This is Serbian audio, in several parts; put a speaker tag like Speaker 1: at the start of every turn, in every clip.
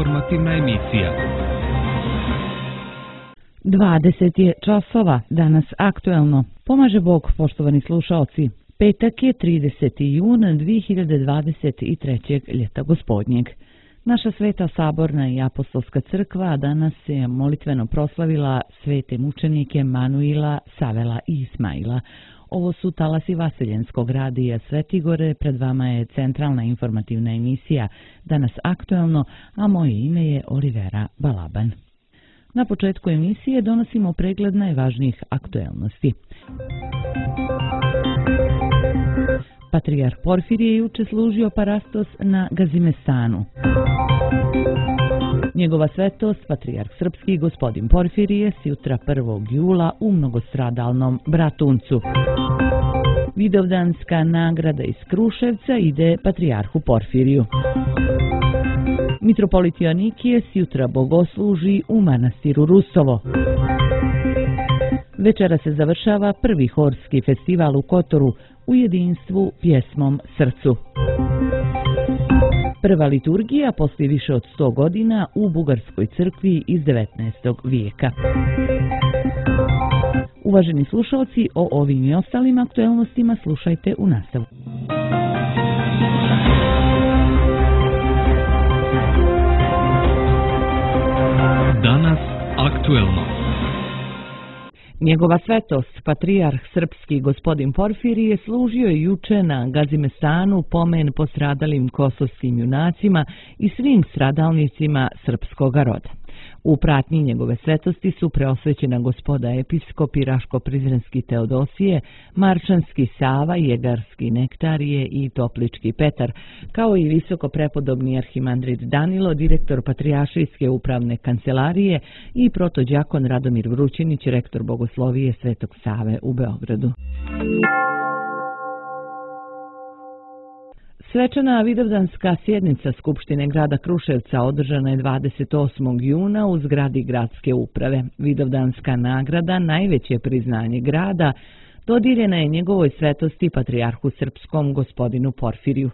Speaker 1: informativna emisija.
Speaker 2: 20 je časova, danas aktuelno. Pomaže Bog, poštovani slušaoci. Petak je 30. jun 2023. ljeta gospodnjeg. Naša Sveta Saborna i Apostolska crkva danas je molitveno proslavila svete mučenike Manuila, Savela i Ismaila. Ovo su talasi Vaseljenskog radija Svetigore, pred vama je centralna informativna emisija Danas aktuelno, a moje ime je Olivera Balaban. Na početku emisije donosimo pregled najvažnijih aktuelnosti. Patrijarh Porfirije juče služio parastos na Gazimestanu. Njegova svetost, patrijarh srpski gospodin Porfirije, jutra 1. jula u mnogostradalnom Bratuncu. Vidovdanska nagrada iz Kruševca ide patrijarhu Porfiriju. Mitropolit Joanikije jutra bogosluži u manastiru Rusovo. Večera se završava prvi horski festival u Kotoru u jedinstvu pjesmom Srcu. Prva liturgija poslije više od 100 godina u Bugarskoj crkvi iz 19. vijeka. Uvaženi slušalci, o ovim i ostalim aktuelnostima slušajte u nastavu.
Speaker 1: Danas aktuelno.
Speaker 2: Njegova svetost, patrijarh srpski gospodin Porfirije, služio je juče na Gazimestanu pomen postradalim kosovskim junacima i svim stradalnicima srpskoga roda. U pratnji njegove svetosti su preosvećena gospoda episkopi Raško-Prizrenski Teodosije, Marčanski Sava, Jegarski Nektarije i Toplički Petar, kao i visoko prepodobni arhimandrit Danilo, direktor Patrijaršijske upravne kancelarije i protođakon Radomir Vrućinić, rektor Bogoslovije Svetog Save u Beogradu. Svečana vidovdanska sjednica Skupštine grada Kruševca održana je 28. juna u zgradi gradske uprave. Vidovdanska nagrada, najveće priznanje grada, dodijeljena je njegovoj svetosti patrijarhu srpskom gospodinu Porfiriju.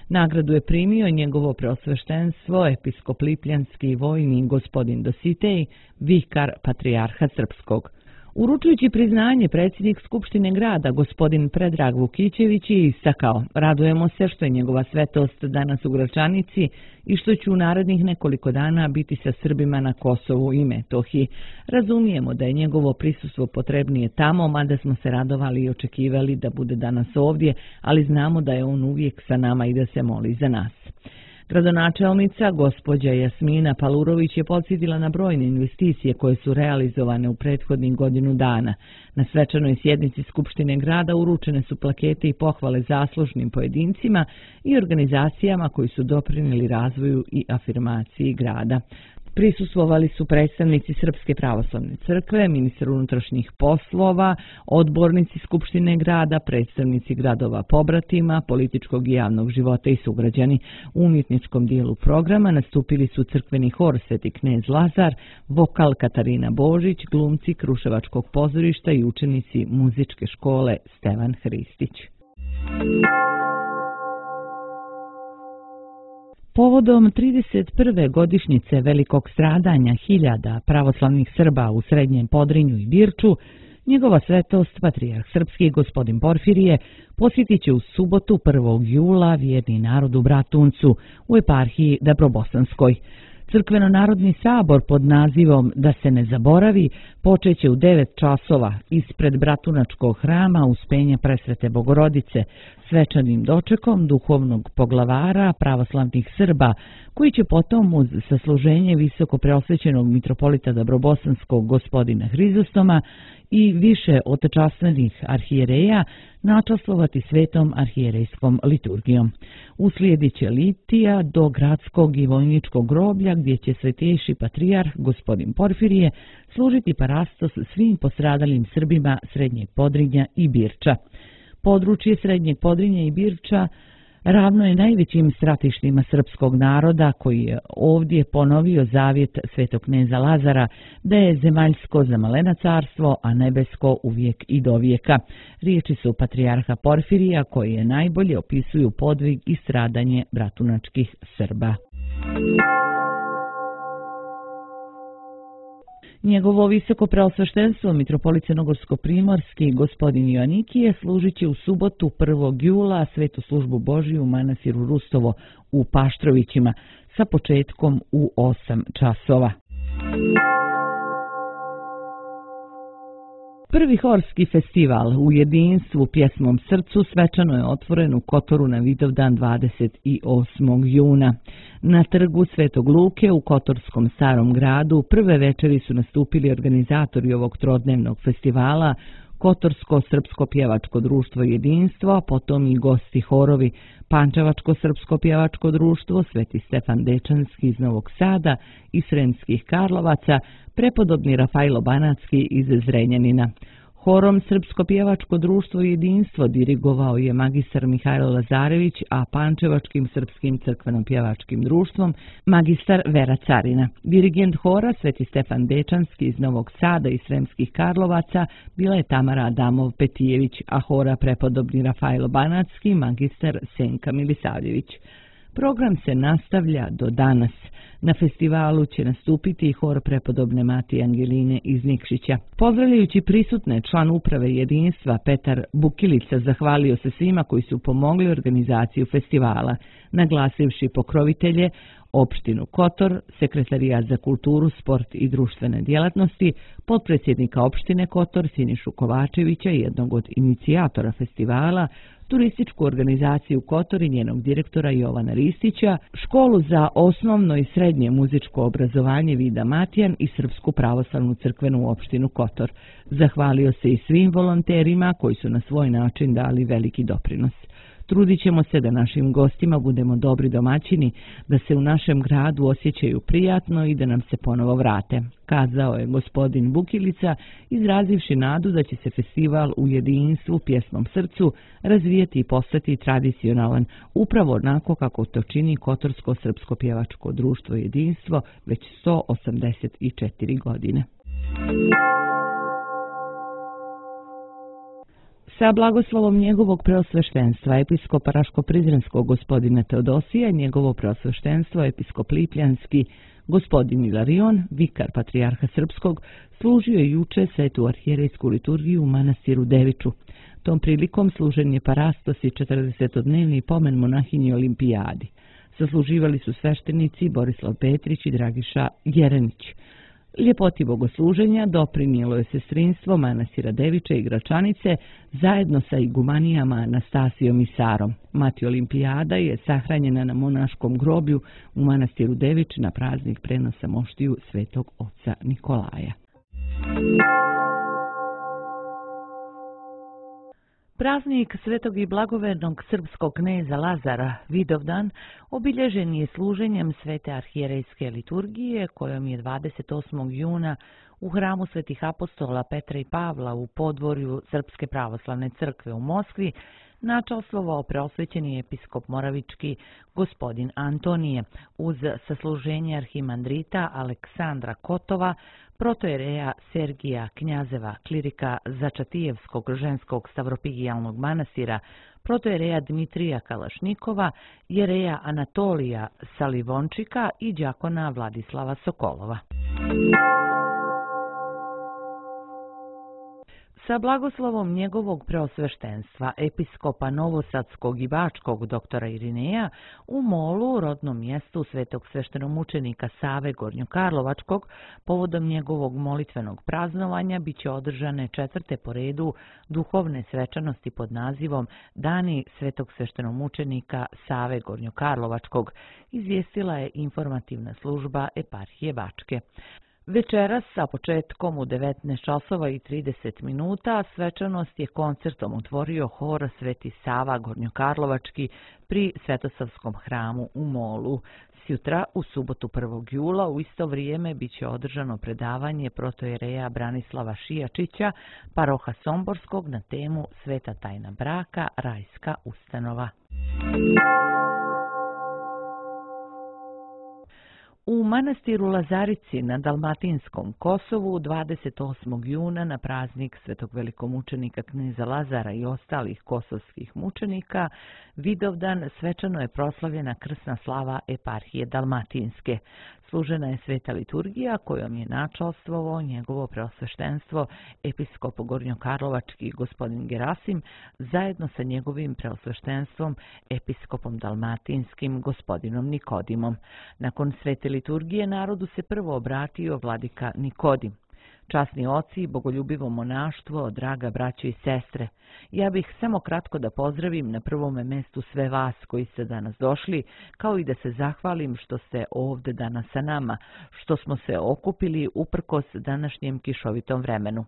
Speaker 2: Nagradu je primio njegovo preosveštenstvo, episkop lipljanski vojni gospodin Dositej, vikar patrijarha srpskog. Uručujući priznanje, predsjednik Skupštine grada, gospodin Predrag Vukićević, je istakao: radujemo se što je njegova svetost danas u Gračanici i što će u narednih nekoliko dana biti sa Srbima na Kosovu i Metohiji. Razumijemo da je njegovo prisustvo potrebnije tamo, mada smo se radovali i očekivali da bude danas ovdje, ali znamo da je on uvijek sa nama i da se moli za nas. Gradonačelnica, gospođa Jasmina Palurović, je podsjetila na brojne investicije koje su realizovane u prethodnih godinu dana. Na svečanoj sjednici Skupštine grada uručene su plakete i pohvale zaslužnim pojedincima i organizacijama koji su doprinijeli razvoju i afirmaciji grada. Prisustvovali su predstavnici Srpske pravoslavne crkve, ministar unutrašnjih poslova, odbornici Skupštine grada, predstavnici gradova pobratima, političkog i javnog života i sugrađani. U umjetničkom dijelu programa nastupili su crkveni hor Sveti knez Lazar, vokal Katarina Božić, glumci Kruševačkog pozorišta i učenici muzičke škole Stevan Hristić. Povodom 31. godišnjice velikog stradanja hiljada pravoslavnih Srba u Srednjem Podrinju i Birču, njegova svetost, patrijarh srpski gospodin Porfirije, posjetit će u subotu 1. jula vjerni narod u Bratuncu u eparhiji Dabrobosanskoj. Crkveno-narodni sabor pod nazivom Da se ne zaboravi počeće u 9 časova ispred Bratunačkog hrama Uspenja Presvete Bogorodice svečanim dočekom duhovnog poglavara pravoslavnih Srba, koji će potom uz sasluženje visoko preosvećenog mitropolita Dabrobosanskog gospodina Hrizostoma i više otečasvenih arhijereja načastvovati svetom arhijerejskom liturgijom. Uslijedit će litija do gradskog i vojničkog groblja gdje će svetejši patrijarh gospodin Porfirije služiti parastos svim postradalim Srbima Srednjeg Podrinja i Birča. Područje Srednjeg Podrinja i Birča ravno je najvećim stratištima srpskog naroda koji je ovdje ponovio zavjet svetog kneza Lazara da je zemaljsko za malena carstvo, a nebesko uvijek i do vijeka. Riječi su patrijarha Porfirija koje najbolje opisuju podvig i stradanje bratunačkih Srba. Njegovo visoko preosveštenstvo mitropolit Crnogorsko-primorski gospodin Joanikije služit će u subotu 1. jula svetu službu Božiju u manastiru Rustovo u Paštrovićima sa početkom u 8 časova. Prvi horski festival u jedinstvu pjesmom srcu svečano je otvoren u Kotoru na Vidovdan 28. juna. Na trgu Svetog Luke u Kotorskom starom gradu prve večeri su nastupili organizatori ovog trodnevnog festivala, Kotorsko srpsko pjevačko društvo Jedinstvo, potom i gosti horovi Pančevačko srpsko pjevačko društvo, Sveti Stefan Dečanski iz Novog Sada i Sremskih Karlovaca, prepodobni Rafajlo Banatski iz Zrenjanina. Horom Srpsko pjevačko društvo Jedinstvo dirigovao je magistar Mihajlo Lazarević, a Pančevačkim srpskim crkveno-pjevačkim društvom magistar Vera Carina. Dirigent hora Sveti Stefan Dečanski iz Novog Sada i Sremskih Karlovaca bila je Tamara Adamov-Petijević, a hora prepodobni Rafajlo Banatski magistar Senka Milisavljević. Program se nastavlja do danas. Na festivalu će nastupiti i hor prepodobne Matije Angeline iz Nikšića. Pozdravljajući prisutne, član uprave Jedinstva Petar Bukilica zahvalio se svima koji su pomogli organizaciju festivala, naglasivši pokrovitelje opštinu Kotor, sekretarijat za kulturu, sport i društvene djelatnosti, potpredsjednika opštine Kotor Sinišu Kovačevića, jednog od inicijatora festivala, turističku organizaciju Kotor i njenog direktora Jovana Ristića, školu za osnovno i srednje muzičko obrazovanje Vida Matijan i Srpsku pravoslavnu crkvenu opštinu Kotor. Zahvalio se i svim volonterima koji su na svoj način dali veliki doprinos. Trudit ćemo se da našim gostima budemo dobri domaćini, da se u našem gradu osjećaju prijatno i da nam se ponovo vrate, kazao je gospodin Bukilica, izrazivši nadu da će se festival u jedinstvu pjesmom srcu razvijeti i postati tradicionalan, upravo onako kako to čini Kotorsko srpsko pjevačko društvo Jedinstvo već 184 godine. Sa blagoslovom njegovog preosveštenstva episkopa Raško-Prizrenskog gospodina Teodosija i njegovo preosveštenstvo episkop Lipljanski gospodin Ilarion, vikar patrijarha Srpskog, služio je juče svetu arhijerejsku liturgiju u manastiru Deviču. Tom prilikom služen je parastos i 40-dnevni pomen monahinji Olimpijadi. Sasluživali su sveštenici Borislav Petrić i Dragiša Jerenić. Ljepoti bogosluženja doprinijelo je sestrinstvo manastira Deviče i Gračanice zajedno sa igumanijama Anastasijom i Sarom. Mati Olimpijada je sahranjena na monaškom groblju u manastiru Devič na praznik prenosa moštiju svetog oca Nikolaja. Praznik svetog i blagovernog srpskog kneza Lazara Vidovdan obilježen je služenjem svete arhijerejske liturgije kojom je 28. juna u hramu svetih apostola Petra i Pavla u podvorju Srpske pravoslavne crkve u Moskvi načastvovao preosvećeni episkop moravički gospodin Antonije uz sasluženje arhimandrita Aleksandra Kotova, protojereja Sergija Knjazeva, klirika Začatijevskog ženskog stavropigijalnog manastira, protojereja Dmitrija Kalašnikova, jereja Anatolija Salivončika i đakona Vladislava Sokolova. Sa blagoslovom njegovog preosveštenstva, episkopa Novosadskog i Bačkog doktora Irineja, u Molu, rodnom mjestu svetog sveštenomučenika Save Gornjokarlovačkog, povodom njegovog molitvenog praznovanja biće održane 4. po redu duhovne svečanosti pod nazivom Dani svetog sveštenomučenika Save Gornjokarlovačkog, izvijestila je informativna služba eparhije Bačke. Večeras sa početkom u 19 časova i 30 minuta svečanost je koncertom otvorio hor Sveti Sava Gornjokarlovački pri Svetosavskom hramu u Molu. Sjutra, u subotu 1. jula, u isto vrijeme biće održano predavanje protojereja Branislava Šijačića, paroha Somborskog na temu Sveta tajna braka, rajska ustanova. U manastiru Lazarici na Dalmatinskom Kosovu 28. juna na praznik svetog velikomučenika kneza Lazara i ostalih kosovskih mučenika Vidovdan svečano je proslavljena krsna slava eparhije Dalmatinske. Služena je sveta liturgija kojom je načalstvovao njegovo preosveštenstvo episkop Gornjokarlovački gospodin Gerasim zajedno sa njegovim preosveštenstvom episkopom dalmatinskim gospodinom Nikodimom. Nakon svete liturgije narodu se prvo obratio vladika Nikodim. Časni oci i bogoljubivo monaštvo, draga braćo i sestre, ja bih samo kratko da pozdravim na prvome mestu sve vas koji ste danas došli, kao i da se zahvalim što ste ovdje danas sa nama, što smo se okupili uprkos današnjem kišovitom vremenu.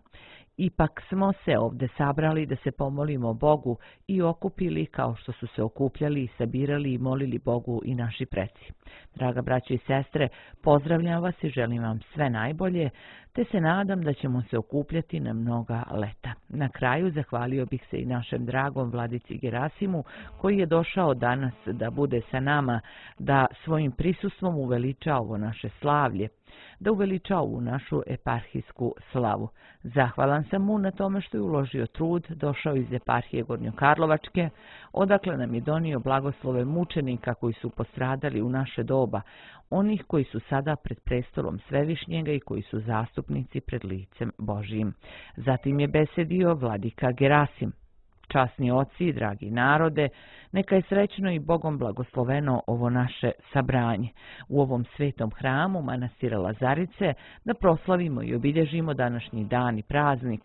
Speaker 2: Ipak smo se ovdje sabrali da se pomolimo Bogu i okupili kao što su se okupljali, sabirali i molili Bogu i naši preci. Draga braćo i sestre, pozdravljam vas i želim vam sve najbolje, te se nadam da ćemo se okupljati na mnoga leta. Na kraju zahvalio bih se i našem dragom vladici Gerasimu koji je došao danas da bude sa nama, da svojim prisustvom uveliča ovo naše slavlje, da uveliča ovu našu eparhijsku slavu. Zahvalan sam mu na tome što je uložio trud, došao iz eparhije Gornjokarlovačke, odakle nam je donio blagoslove mučenika koji su postradali u naše doba, onih koji su sada pred prestolom Svevišnjega i koji su zastupnici pred licem Božijim. Zatim je besedio vladika Gerasim. Časni oci, dragi narode, neka je srećno i Bogom blagosloveno ovo naše sabranje u ovom svetom hramu manastira Lazarice, da proslavimo i obilježimo današnji dan i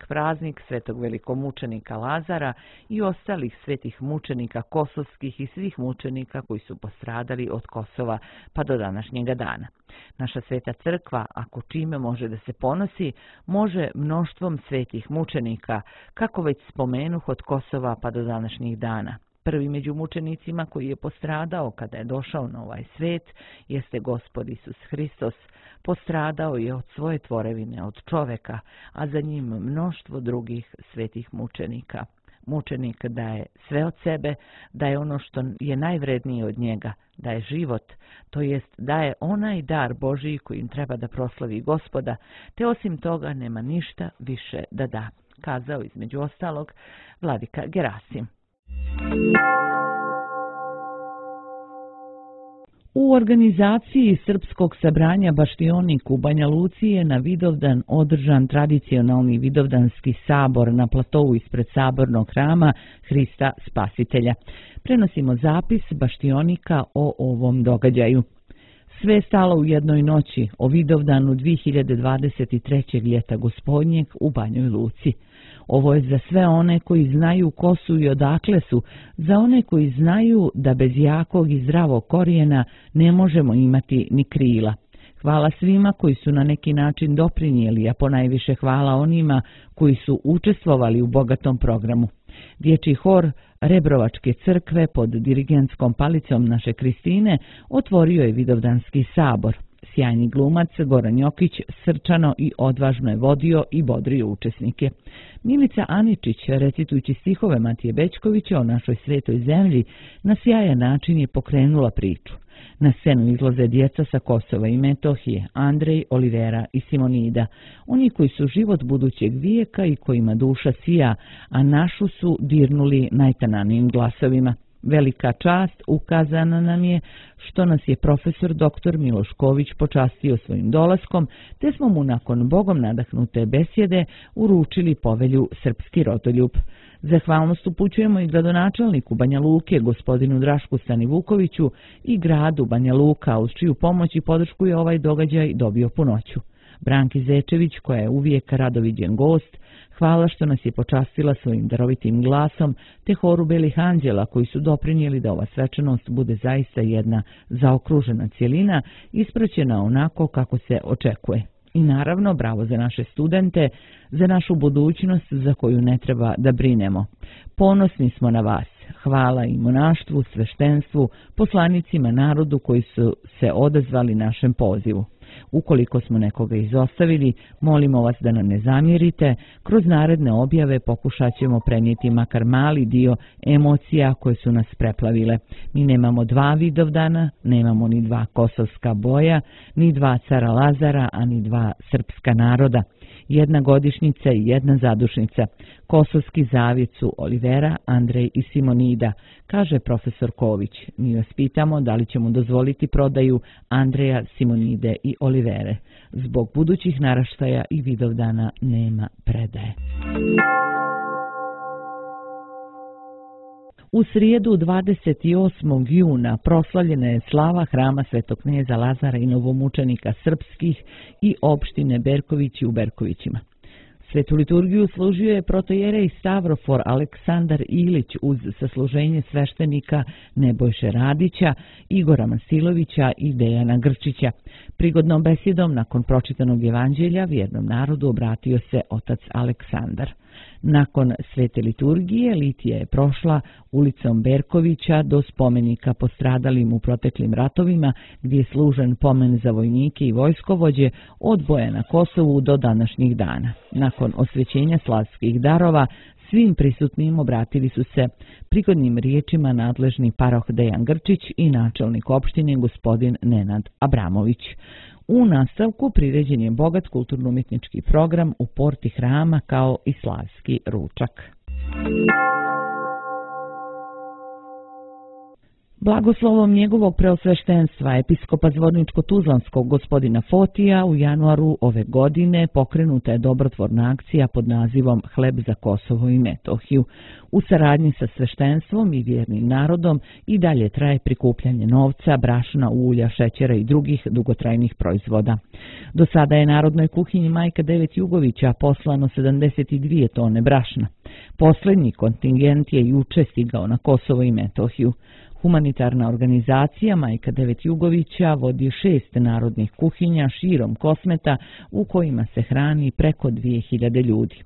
Speaker 2: praznik svetog velikomučenika Lazara i ostalih svetih mučenika kosovskih i svih mučenika koji su postradali od Kosova pa do današnjega dana. Naša sveta crkva, ako čime može da se ponosi, može mnoštvom svetih mučenika, kako već spomenuh od Kosova pa do današnjih dana. Prvi među mučenicima koji je postradao kada je došao na ovaj svet jeste Gospod Isus Hristos. Postradao je od svoje tvorevine, od čoveka, a za njim mnoštvo drugih svetih mučenika. Mučenik daje sve od sebe, daje ono što je najvrednije od njega, daje život, to jest daje onaj dar Božiji kojim treba da proslavi Gospoda, te osim toga nema ništa više da da, kazao između ostalog vladika Gerasim. U organizaciji Srpskog sabranja Baštionik u Banja Luci je na Vidovdan održan tradicionalni Vidovdanski sabor na platovu ispred sabornog hrama Hrista Spasitelja. Prenosimo zapis Baštionika o ovom događaju. Sve je stalo u jednoj noći o Vidovdanu 2023. ljeta gospodnjeg u Banjoj Luci. Ovo je za sve one koji znaju ko su i odakle su, za one koji znaju da bez jakog i zdravog korijena ne možemo imati ni krila. Hvala svima koji su na neki način doprinijeli, a ponajviše hvala onima koji su učestvovali u bogatom programu. Dječji hor Rebrovačke crkve pod dirigentskom palicom naše Kristine otvorio je Vidovdanski sabor. Sjajni glumac Goran Jokić srčano i odvažno je vodio i bodrio učesnike. Milica Aničić, recitujući stihove Matije Bećkovića o našoj svetoj zemlji, na sjajan način je pokrenula priču. Na scenu izlaze djeca sa Kosova i Metohije, Andrej, Olivera i Simonida, oni koji su život budućeg vijeka i kojima duša sija, a našu su dirnuli najtananijim glasovima. Velika čast ukazana nam je što nas je profesor dr. Miloš Ković počastio svojim dolaskom, te smo mu nakon Bogom nadahnute besjede uručili povelju Srpski rodoljub. Zahvalnost upućujemo i gradonačelniku Banja Luke, gospodinu Drašku Stanivukoviću, i gradu Banja Luka, uz čiju pomoć i podršku je ovaj događaj dobio punoću. Branki Zečević, koja je uvijek radoviđen gost, hvala što nas je počastila svojim darovitim glasom, te horu Belih anđela koji su doprinijeli da ova svečanost bude zaista jedna zaokružena cjelina, ispraćena onako kako se očekuje. I naravno, bravo za naše studente, za našu budućnost za koju ne treba da brinemo. Ponosni smo na vas. Hvala i monaštvu, sveštenstvu, poslanicima narodu koji su se odazvali našem pozivu. Ukoliko smo nekoga izostavili, molimo vas da nam ne zamjerite, kroz naredne objave pokušat ćemo prenijeti makar mali dio emocija koje su nas preplavile. Mi nemamo 2 Vidovdana, nemamo ni 2 kosovska boja, ni 2 cara Lazara, a ni 2 srpska naroda. 1 godišnjica i 1 zadušnica. Kosovski zavjet su Olivera, Andrej i Simonida, kaže profesor Ković. Mi vas pitamo da li ćemo dozvoliti prodaju Andreja, Simonide i Olivere. Zbog budućih naraštaja i Vidovdana nema predaje. U srijedu 28. juna proslavljena je slava hrama Svetog kneza Lazara i novomučenika srpskih i opštine Berkovići u Berkovićima. Svetu liturgiju služio je protojerej Stavrofor Aleksandar Ilić uz sasluženje sveštenika Nebojše Radića, Igora Masilovića i Dejana Grčića. Prigodnom besedom nakon pročitanog evanđelja vjernom narodu obratio se otac Aleksandar. Nakon svete liturgije litija je prošla ulicom Berkovića do spomenika postradalim u proteklim ratovima gdje je služen pomen za vojnike i vojskovođe od boja na Kosovu do današnjih dana. Nakon osvećenja slavskih darova svim prisutnim obratili su se prigodnim riječima nadležni paroh Dejan Grčić i načelnik opštine gospodin Nenad Abramović. U nastavku priređen je bogat kulturno-umjetnički program u porti hrama kao i slavski ručak. Blagoslovom njegovog preosveštenstva episkopa Zvorničko-Tuzlanskog gospodina Fotija u januaru ove godine pokrenuta je dobrotvorna akcija pod nazivom Hleb za Kosovo i Metohiju. U saradnji sa sveštenstvom i vjernim narodom i dalje traje prikupljanje novca, brašna, ulja, šećera i drugih dugotrajnih proizvoda. Do sada je Narodnoj kuhinji Majka Devet Jugovića poslano 72 tone brašna. Posljednji kontingent je juče stigao na Kosovo i Metohiju. Humanitarna organizacija Majka Devet Jugovića vodi 6 narodnih kuhinja širom Kosmeta u kojima se hrani preko 2000 ljudi.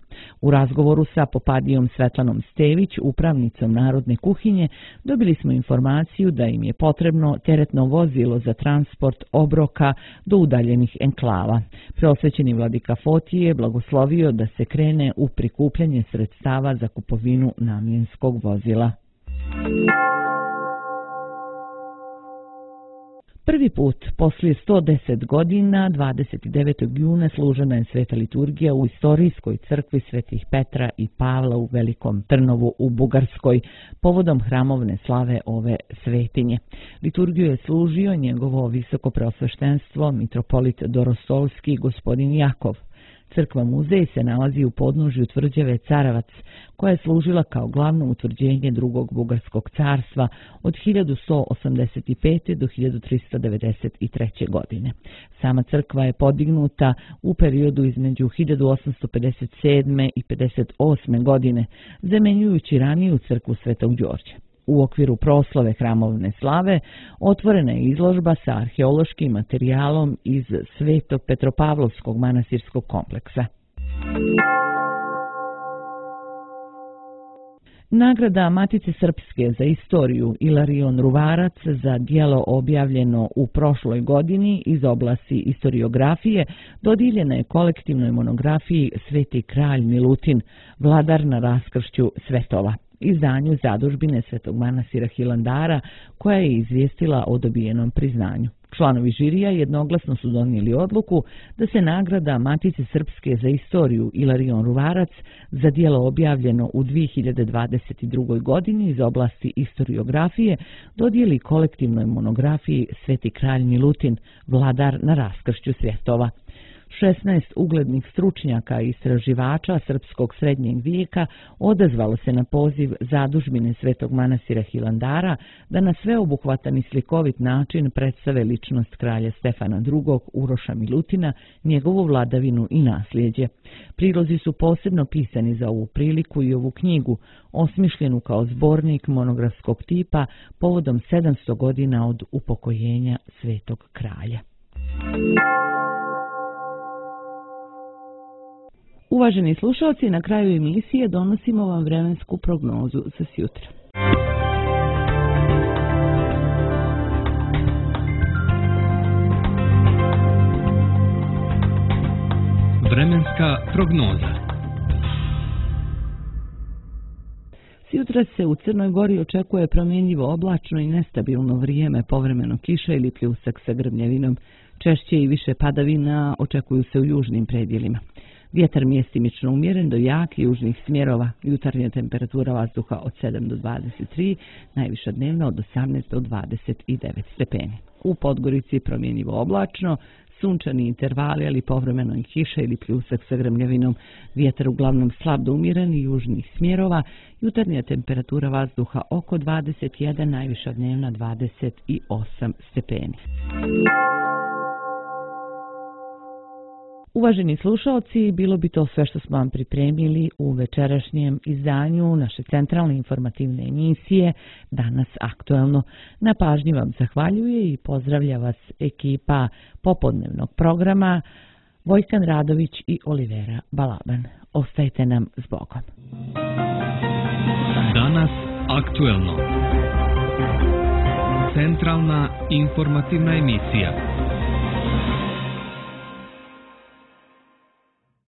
Speaker 2: U razgovoru sa popadijom Svetlanom Stević, upravnicom Narodne kuhinje, dobili smo informaciju da im je potrebno teretno vozilo za transport obroka do udaljenih enklava. Preosvećeni vladika Fotije je blagoslovio da se krene u prikupljanje sredstava za kupovinu namjenskog vozila. Prvi put, poslije 110 godina, 29. juna služena je sveta liturgija u istorijskoj crkvi Svetih Petra i Pavla u Velikom Trnovu u Bugarskoj, povodom hramovne slave ove svetinje. Liturgiju je služio njegovo visoko preosveštenstvo, mitropolit Dorostolski gospodin Jakov. Crkva muzej se nalazi u podnožju tvrđave Caravac, koja je služila kao glavno utvrđenje drugog bugarskog carstva od 1185. do 1393. godine. Sama crkva je podignuta u periodu između 1857. i 58. godine, zamenjujući raniju crkvu Svetog Đorđa. U okviru proslave hramovne slave otvorena je izložba sa arheološkim materijalom iz Svetog Petropavlovskog manastirskog kompleksa. Nagrada Matice Srpske za istoriju Ilarion Ruvarac za djelo objavljeno u prošloj godini iz oblasti istoriografije dodijeljena je kolektivnoj monografiji Sveti kralj Milutin, vladar na raskršću svetova, izdanju zadužbine Svetog manastira Hilandara, koja je izvijestila o dobijenom priznanju. Članovi žirija jednoglasno su donijeli odluku da se nagrada Matice Srpske za istoriju Ilarion Ruvarac za djelo objavljeno u 2022. godini iz oblasti istoriografije dodijeli kolektivnoj monografiji Sveti kralj Milutin, vladar na raskršću svjetova. 16 uglednih stručnjaka i istraživača srpskog srednjeg vijeka odazvalo se na poziv zadužbine Svetog manastira Hilandara da na sveobuhvatan i slikovit način predstave ličnost kralja Stefana II. Uroša Milutina, njegovu vladavinu i nasljeđe. Prilozi su posebno pisani za ovu priliku i ovu knjigu, osmišljenu kao zbornik monografskog tipa povodom 700 godina od upokojenja Svetog kralja. Uvaženi slušalci, na kraju emisije donosimo vam vremensku prognozu za sjutra.
Speaker 1: Vremenska prognoza.
Speaker 2: Jutros se u Crnoj Gori očekuje promjenjivo oblačno i nestabilno vrijeme, povremeno kiša ili pljusak sa grmljavinom. Češće i više padavina očekuju se u južnim predjelima. Vjetar mjestimično umjeren do jakih južnih smjerova. Jutarnja temperatura vazduha od 7 do 23, najviša dnevna od 18 do 29 stepeni. U Podgorici promjenjivo oblačno, sunčani intervali, ali povremeno i kiša ili pljusak sa grmljavinom. Vjetar uglavnom slab do umjeren i južnih smjerova. Jutarnja temperatura vazduha oko 21, najviša dnevna 28 stepeni. Uvaženi slušalci, bilo bi to sve što smo vam pripremili u večerašnjem izdanju naše centralne informativne emisije Danas aktuelno. Na pažnji vam zahvaljuje i pozdravlja vas ekipa popodnevnog programa Vojkan Radović i Olivera Balaban. Ostajte nam s Bogom.
Speaker 1: Danas aktuelno. Centralna informativna emisija.